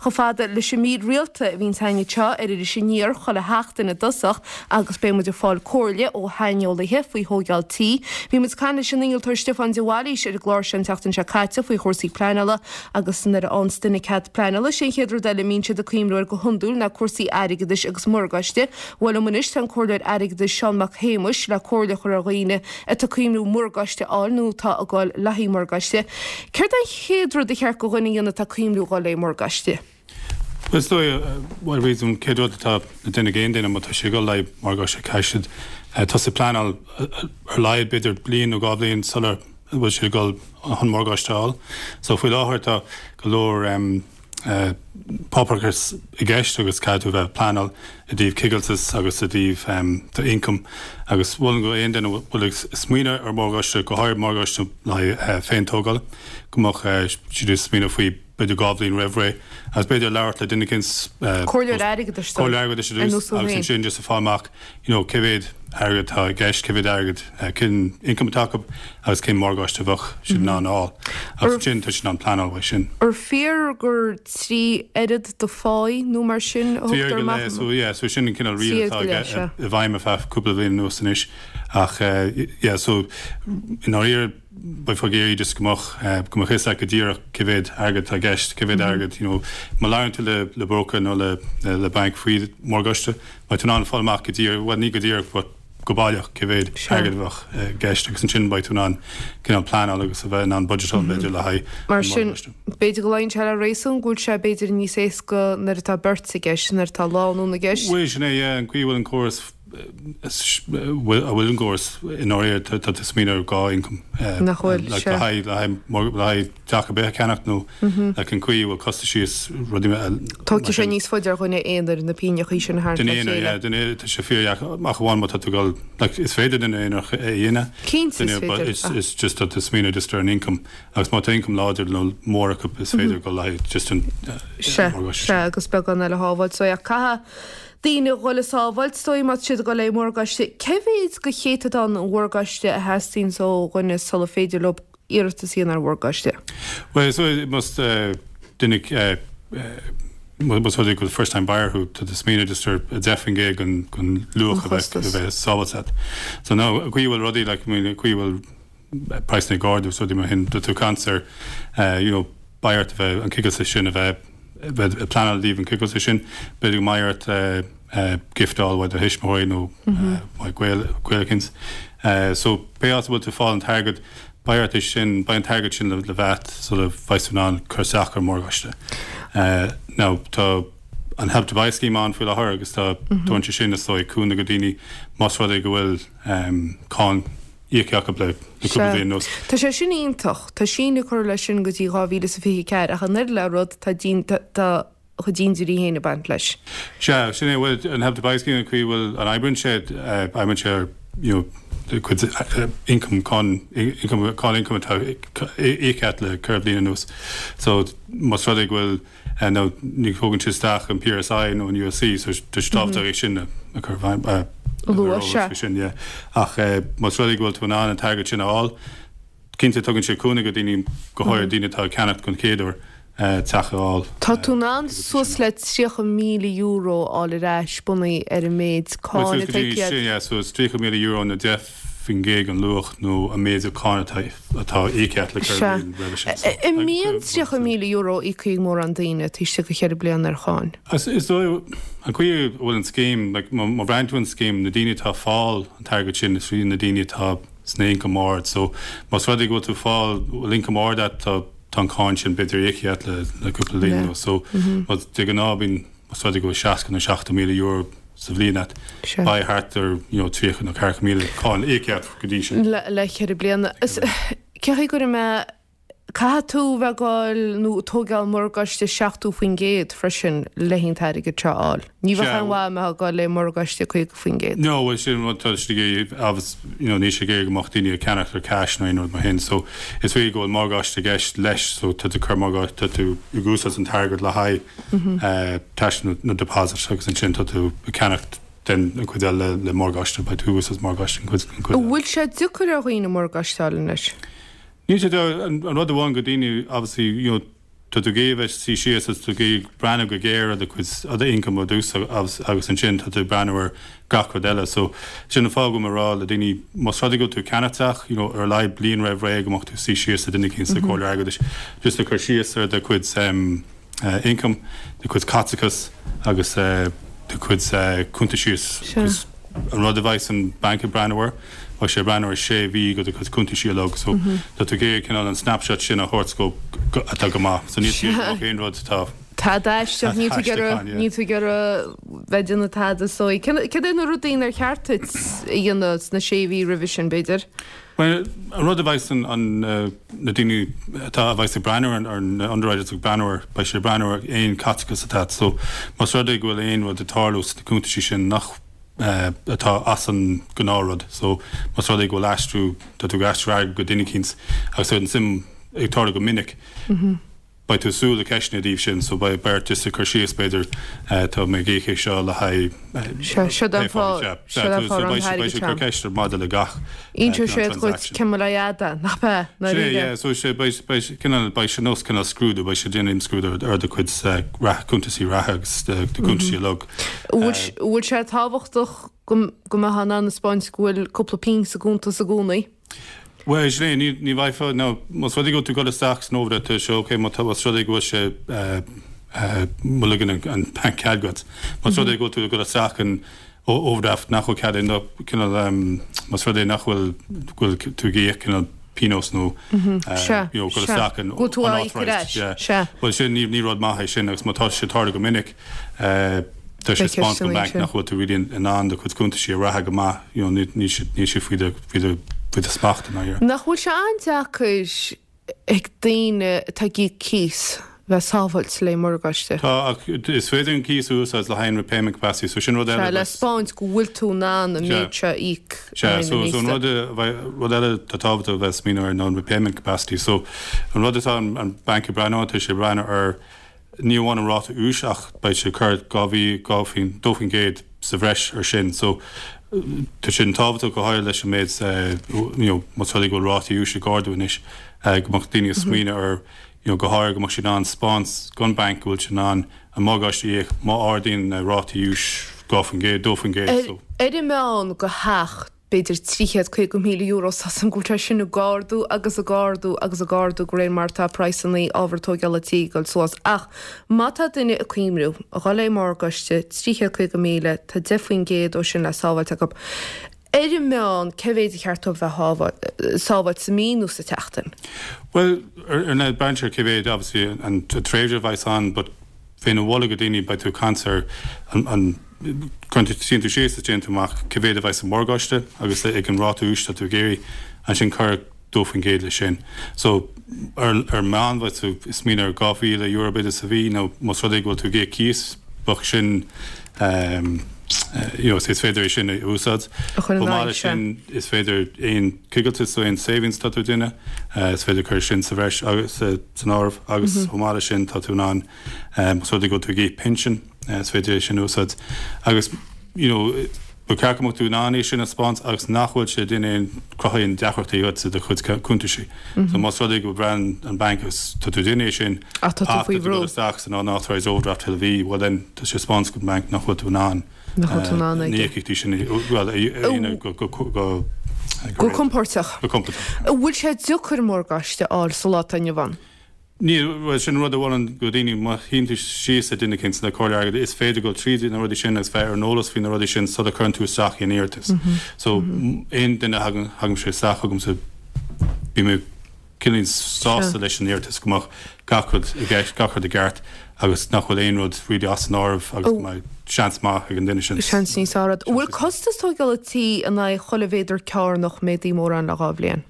Chomh fada leis an mír rialta a bhíonns againn anseo ar Iris Aniar chuile sheachtain i dtosach agus beidh muid ag fáil comhairle ó shaineolaithe faoi thóigeáil tí. Bhí muid ag caint leis an innealtóir Stiofán de Bhailís ar an gclár seo an tseachtain seo caite faoi chúrsaí pleanála agus nuair a fhaigheanns duine cead pleanála sé an chéad rud eile a mbíonn siad ag cuimhniú air go hiondúil ná cúrsaí airgeadais agus morgáiste. Bhuel liom anois tá an comhairleoir airgeadais Seán Mac Shéamuis le comhairle a chur ar dhaoine atá ag cuimhniú morgáiste a fháil nó atá ag dul le haghaidh morgáiste. Céard é an chéad rud a cheart go dhuine a dhéanamh atá ag cuimhniú dhul le morgáiste? Bhuel is dóigh, bhuel bhuel an chéad rud atá le déanamh ag aon duine má tá sé ag dul le haghaidh morgáiste caithfidh siad tosú ag pleanáil ar a laghad b'fhéidir bliain nó dhá bhliain sular bhfuil siad ag dul chun morgáiste a fháil. So faoi láthair tá go leor páipéarachas i gceist agus caithfidh tú a bheith ag pleanáil i dtaobh coigilteas agus i dtaobh do income agus mholfainn go aon duine a bhfuil ag smaoineamh ar mhorgáiste, go háirid morgáiste le haghaidh féin-tógáil, go mbeadh siad ag smaoineamh faoi b'fhéidir 2 bhliain roimh ré agus b'fhéidir labhairt le duine eicínt, Comhairleoir airgeadais comhairleoir airgeadais ar dtús agus ansin just a fáil amach you know cé mhéad airgead atá i gceist, cé mhéad airgead, cén income atá acu agus cén morgáiste a bheadh siad in ann a fháil. Agus ansin tá siad in ann pleanáil uaidh sin. Ar fíor gur 3 oiread do pháí nó mar sin a thugtar amach? So yeah, so sin an cineál riail atá i bhfeidhm ar feadh cúpla bliain anuas anois ach yeah, so i ndáiríre beifeá ag iarraidh just go mbeadh, go mbeadh fhios agat go díreach cé mhéad airgead atá i gceist, cé mhéad airgead, you know, má labhraíonn tú le, le broker nó le, le banc faoi mhorgáiste, beidh tú in ann fáil amach go díreach, bhuel ní go díreach but go baileach cé mhéad airgead a bheadh i gceist agus ansin beidh tú in ann cineál pleanáil agus a bheith in ann budgetáil b'fhéidir le haghaidh Mar sin, b'fhéidir go luíonn sé le réasún go bhfuil sé b'fhéidir níos éasca nuair atá beirt i gceist, nuair atá lánúin i gceist. Bhuel sin é, yeah, an chaoi a bhfuil an córas a bhfuil an córas i ndáiríre tá tú ag smaoineamh ar 2 income Nach bhfuil, like le haghaidh le haghaidh le haghaidh teach ar bith a cheannacht nó like an chaoi a bhfuil costaisí is rudaí mar Tógfaidh sé níos faide ar dhuine aonair na pínneachaí sin a tharraingt le chéile. Duine aonair, yeah, duine aonair, tá sé fíordheacair, ach amháin má tá tú ag dul, like is féidir duine aonair é a dhéanamh. Cinnte is féidir. But it's just tá tú ag smaoineamh just ar an income agus má tá income láidir nó mór acu is féidir dul le haghaidh just an Sea, sea, agus beagán eile a shábháilt. So yeah, caithfidh daoine a dhul ag sábháilt, is dóigh, má tá siad ag dul le morgáiste. Cé mhéid de chéatadán an mhorgáiste a theastaíonns ó dhuine sula féidir leo iarratas a dhéanamh ar mhorgáiste? Bhuel, is dóigh, más duine, más rud é go bhfuil first time buyer thú, tá tú ag smaoineamh just ar 10% den luach a bheith, a bheith sábháilte agat. So now, an chaoi a bhfuil rudaí, like, I mean, an chaoi a bhfuil praghsanna ag ardú is rudaí mar sin, tá tú ag caint ar, you know, beidh ort a bheith, an coigilteas sin a bheith, bheith ag pleanáil i dtaobh an coigilteas sin, b'fhéidir go mbeidh ort gift a fháil uaidh do thuismitheoirí nó uaidh gaol, gaol eicínt. So pé áit a bhfuil tú ag fáil an t-airgead, beidh ort é sin, beidh an t-airgead sin le bheith agat sula bheidh tú in ann cur isteach ar mhorgáiste. Now tá an Help to Buy scheme ann faoi láthair agus tá, tugann sé sin is dóigh cúnamh go daoine más rud é go bhfuil cáin íoctha acu le cúpla bliain anuas. Tá sé sin iontach. Tá síneadh curtha leis sin go dtí 2024 ach an oiread le rud tá tá a chuid dindiúirí féin ag baint leis. Sea, sin é. Bhuel, an Help to Buy scheme, an chaoi a bhfuil an oibríonn sé, oibríonn sé ar you know do chuid income, cáin income, cáin income atá íoctha agat le ceithre bliana anuas. So, más rud é go bhfuil nó ní thógann sé isteach an PRSI nó an USC so tá sé tábhachtach é sin a chur i bhfeidhm, a lua, sea. sin, yeah. Ach más rud é go bhfuil tú in ann an t-airgead sin a fháil, cinnte tugann sé cúnamh go daoine, go háirithe daoine atá ag ceannacht don chéad uair, teach a fháil. Tá tú in ann suas le €30,000 a fháil ar ais bunaithe ar an méid cáin atá íoctha agat. Sin, yeah, so it's €30,000 nó 10% den luach nó an méid cáin atá atá íoctha agat le ceithre bliana roimhe sin. Sea. An mbíonn €30,000 íoctha ag mórán daoine taobh istigh de cheithre bliana ar cháin? Is dóigh, an chaoi a bhfuil an scéim, like, má bhreathnaíonn tú an scéim, na daoine atá ag fáil an t-airgead sin, is iad na daoine atá sna income ard. So, más rud é go bhfuil tú ag fáil, bhfuil income ard agat, tá tá an cáin sin b'fhéidir íoctha agat le le cúpla bliain anuas. So, de ghnáth bíonn, más rud é go bhfuil 60 nó 70,000 euro sa bhliain agat, beidh thart ar you know 30 nó 40,000 cáin íoctha agat go dtí sin. Le le ceithre bliana. Is cé chaoi go raibh mé Caithfidh tú bheith ag dul nó ag tóigeáil morgáiste 70% freisin le an t-airgead seo a fháil. Ní bheadh aon mhaith a bheith ag dul le morgáiste 50%. No, bhuel sin an rud tá siad ag iarraidh obvious you know níl siad ag iarraidh go mbeadh daoine ag ceannacht ar cash nó aon rud mar shin so is fíor go bhfuil morgáiste i gceist leis so tá tú ag cur morgáiste tá tú ag úsáid an t-airgead le haghaidh cash nó nó deposit agus ansin tá tú ag ceannacht den an chuid eile le morgáiste beidh tú ag úsáid morgáiste an chuid an chuid eile. An bhfuil sé deacair ar dhaoine morgáiste a fháil anois? Níl sé deacair, an rud amháin go daoine obviously you know. tá tú ag iarraidh bheith suí síos agus tú ag iarraidh breathnú go géar ar do chuid ar do income ar dtús agus agus ansin tá tú ag breathnú ar gach rud eile. So sin an fáth go bhfuil mé ag rá le daoine más rud é go bhfuil tú ag ceannach teach, you know, ar a laghad bliain roimh ré go mbeadh tú suí síos le duine éicint sa comhairle airgeadais just le cur síos ar do chuid um, income, do chuid caiteachas agus do chuid cuntaisí 'cause an rud a bheidh an banc ag breathnú air, beidh sé ag breathnú ar sé mhí de do chuid cuntaisí uilig so tá tú ag iarraidh cineál an snapshot sin a thabhairt go atá go maith. So níl tú ag iarraidh aon rud atá Tada aisteach, níl tú ag iarraidh, níl tú ag iarraidh bheith ag déanamh tada so cad é na rudaí nár cheart duit a dhéanamh sna sé mhí roimhe sin, b'fhéidir? Bhuel, an rud a bheidh an, na daoine atá, a bheidh ag breathnú ar, na underwriters ag breathnú air, beidh siad ag breathnú ar aon caiteachas atá agat. So, más rud é go bhfuil aon rud ag tarlú sna cuntaisí sin nach, atá as an gnáthrud, so más rud é go bhfuil aistriú, tá tú ag aistriú airgead go duine eicínt agus tá an suim ag tarlú go minic, Beidh tú ag súil le ceisteanna i dtaobh sin so beidh ort just cur síos b'fhéidir tá mé ag íoc é seo le haghaidh Sea, seo an fáth, seo an fáth an t-airgead seo. Beidh siad ag cur ceist maidir le gach Inseoidh siad dhuit cén mhaith le fhada, nach ea, Sea, ndáiríre. yeah, so sé, beidh, beidh, cineál, beidh sé nós cineál scrúdú, beidh sé ag déanamh imscrúdú ar do chuid reatha, cuntasaí reatha agus do cuntasaí uilig. An bhfuil sé tábhachtach go go mbeifeá in ann a 'speáint go bhfuil cúpla pingin sa gcuntas i gcónaí? Bhuel, sin é, ní, ní bheifeá, nó más rud é go bhfuil tú ag dul isteach san overdraft, tá sé ok, má tá, más rud é go bhfuil sé, má ligeann an, an banc cead dhuit. Más rud é go bhfuil tú ag dul isteach in overdraft nach bhfuil cead, nó cineál, más rud é nach bhfuil, go bhfuil tú ag íoc cineál pionós nó, Sea, you know, dul sea. isteach in Go bhfuil tú á íoc ar unauthorized, ais, yeah. sea. Bhuel, sin, ní, ní rud maith é sin agus má tá sé ag tarlú go minic, Tá sé ag 'speáint don bhanc nach bhfuil tú really in ann do chuid cuntaisí a reatha go maith, you know, níl siad, níl siad faoi do, faoi do, faoi do smacht i ndáiríre. Nach bhfuil sé an-deacair ag daoine atá ag íoc cíos bheith sábháilte le morgáiste? Tá, ach is féidir an cíos a úsáid le haghaidh an repayment capacity, so sin rud eile. Sea, le 'speáint go bhfuil tú in ann an méid seo a íoc Sea, so, so an rud a bheidh, rud eile atá tábhachtach a bheith ag smaoineamh air ná an repayment capacity. So an rud atá an, an banc ag breathnú air, tá sé ag breathnú ar, Ní amháin an ráta úis ach beidh sé ag cur 2% sa bhreis ar sin. So tá sin tábhachtach go háirithe leis an méid you know más rud é go bhfuil rátaí úis ag ardú anois go mbeadh daoine ag smaoineamh ar you know go háirithe go mbeadh siad in ann 'speáint don banc go bhfuil siad in ann an morgáiste a íoc má ardaíonn na rátaí úis 2%, 2%. So. Ar an meán do theach b'fhéidir €350,000 tá a fhios agam go bhfuil sé sin ag ardú agus ag ardú agus ag ardú de réir mar atá praghsanna ábhar tógála tí ag dul suas. Ach má tá duine ag cuimhniú a dhul le morgáiste, 350,000, tá 10% ó sin le sábháilt acu. Ar an meán, cé mhéid a cheart dóibh bheith sábháilt sa mí nó sa tseachtain? Bhuel, ar ndóigh, braitheann sé ar cé mhéid, obviously, an tréimhse a bheas ann, but bheinn ag moladh do dhaoine, beidh tú ag caint ar an, Cuireann tú, suíonn tú síos is déanann tú amach cé mhéad a bheidh sa mhorgáiste agus ag an ráta úis atá tú ag iarraidh, ansin cuir 2% leis sin. So, ar ar meán bheadh tú ag smaoineamh ar €2,000 b'fhéidir sa mhí nó más rud é go bhfuil tú ag íoc cíos, bheadh sin you know, is féidir é sin a úsáid. A chur in Chomh maith aghaidh, leis sea. sin is féidir aon coigilteas nó aon savings atá tú ag déanamh, is féidir cur sin sa bhreis agus san áireamh agus chomh maith leis sin tá tú in ann más rud é go bhfuil tú ag íoc pinsean, Is féidir é sin a úsáid agus you know ba cheart go mbeadh tú in ann é sin a 'speáint agus nach bhfuil sé ag déanamh aon cruthú aon deacrachtaí dhuit i do chuid cuntaisí. So más rud é go mbreathnaíonn an banc agus tá tú ag déanamh é sin Ach tá tú ach faoi tá tú ag bhrú. dul isteach san unauthorized overdraft chuile mhí, well then tá sé ag 'speáint don bhanc nach bhfuil tú in ann Nach bhfuil tú in ann na aige. íocaíochtaí sin a well a dhéanamh go go go go Go compóirteach. Go compóirteach. An bhfuil sé deacair morgáiste a fháil sa lá atá inniu ann? Níl, bhuel, sin rud a mholaim do dhaoine, má shuíonn tú síos le duine éicint, le comhairle airgeadais, is féidir dul tríd na rudaí sin agus bheith ar an eolas faoi na rudaí sin sula cuireann tú isteach aon iarratas. So, aon duine a thagann, thagann sé isteach chugamsa, bím cineál sásta leis an iarratas go mbeadh gach rud i gceist, gach rud i gceart agus nach bhfuil aon rud really as an áireamh agus go mbeidh seans maith ag an duine sin. Seans níos fearr. An bhfuil costas tógála tí in aghaidh chuile mhéadar cearnach méadaithe mórán le 2 bhliain?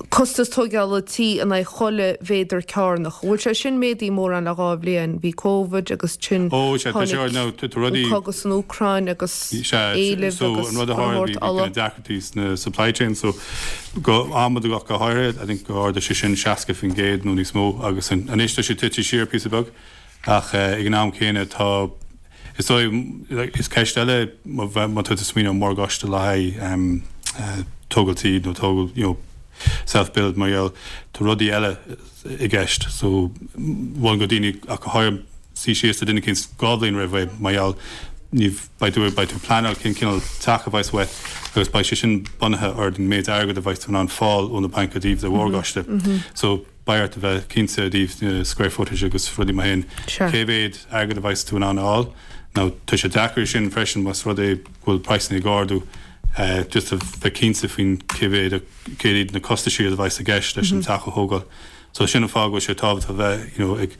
Costas tógála tí in aghaidh chuile mhéadar cearnach. An bhfuil sé sin méadaithe mórán le 2 bhliain? Bhí Covid agus ansin tháinig an cogadh san Úcráin agus éileamh agus an rud a tharla bhí ola. deacrachtaí sna supply chain so go adhmad ach go háirithe I think go ardaigh sé sin 60% nó níos mó agus anois tá sé tite siar píosa beag ach ag an am céanna tá Is dóigh, is ceist eile má tá tú ag smaoineamh ar morgáiste le haghaidh tógáil tí nó tógáil, you know. self build mar gheall tá rudaí eile i gceist so mholfainn do daoine ach go háirithe suí síos le duine eicínt dhá bhliain roimh ré mar gheall ní beidh tú beidh tú ag pleanáil cén cineál teach a bheas uait agus beidh sé sin bunaithe ar an méid airgead a bheas tú in ann fáil ó na bainc i dtaobh do mhorgáiste so beidh ort a bheith cinnte i dtaobh na square footage agus rudaí mar sin cé mhéad airgead a bheas tú in ann a fháil now tá sé deacair sin freisin más rud é go bhfuil praghsanna ag ardú just a bheith cinnte faoin cé mhéad céard iad na costaisí a bheas i gceist leis an teach a thógáil. So sin an fáth go bhfuil sé tábhachtach a bheith you know ag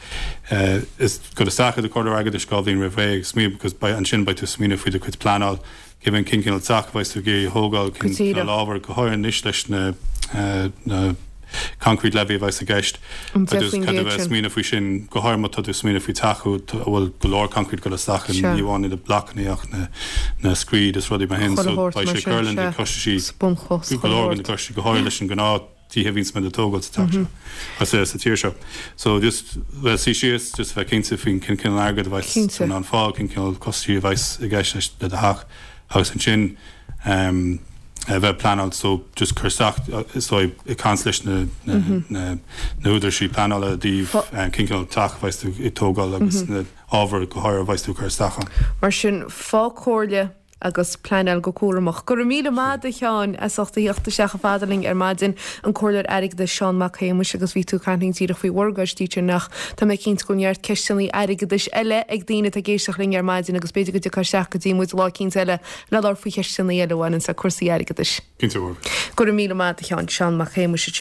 is dul isteach i do chomhairleoir airgeadais dhá bhliain roimh ré ag smaoineamh because beidh ansin beidh tú ag smaoineamh faoi do chuid pleanáil cé mhéad cén cineál teach a bheas tú ag iarraidh a thógáil cén cineál ábhar go háirithe anois leis na na concrete levy a bheas i gceist. An 10% Caithfidh tú a bheith ag smaoineamh faoi sin, go háirithe má tá tú ag smaoineamh faoi teach a bhfuil go leor concrete ag dul isteach ann, ní amháin na blocanna ach na na screed is rudaí mar sin, so beidh sé ag cur le na costaisí, go leor de na costaisí, go háirithe leis an gnáth tithe a bhíonns muid ag tógáil sa teach seo, sa tír seo. So just bheith suí síos, just bheith cinnte faoin cén cineál airgead a bheas tú in ann fáil, cén cineál costaisí a bheas i gceist leis le do theach agus ansin ehm, a bheith pleanáil so just cur isteach so ag caint leis na na na húdaráisí pleanála i dtaobh cén cineál teach a bheas tú ag tógáil agus na ábhair go háirithe a bheas tú ag cur isteach ann. Mar sin, fág comhairle agus pleanáil go cúramach. Go raibh míle maith agat a Sheáin as ucht a theacht isteach chomh fada linn ar maidin, an Comhairleoir Airgeadais Seán Mac Shéamais agus bhí tú ag caint linn díreach faoi mhorgáistí sin ach tá mé cinnte go bhfuil neart ceisteanna airgeadais eile ag daoine atá ag éisteacht linn ar maidin agus b'fhéidir go dtiocfá isteach go dtí muid lá eicínt eile le labhairt faoi cheisteanna eile a bhaineanns le cúrsaí airgeadais. Cinnte, a Mháire. Go raibh míle maith agat a Sheáin, Seán Mac Shéamais.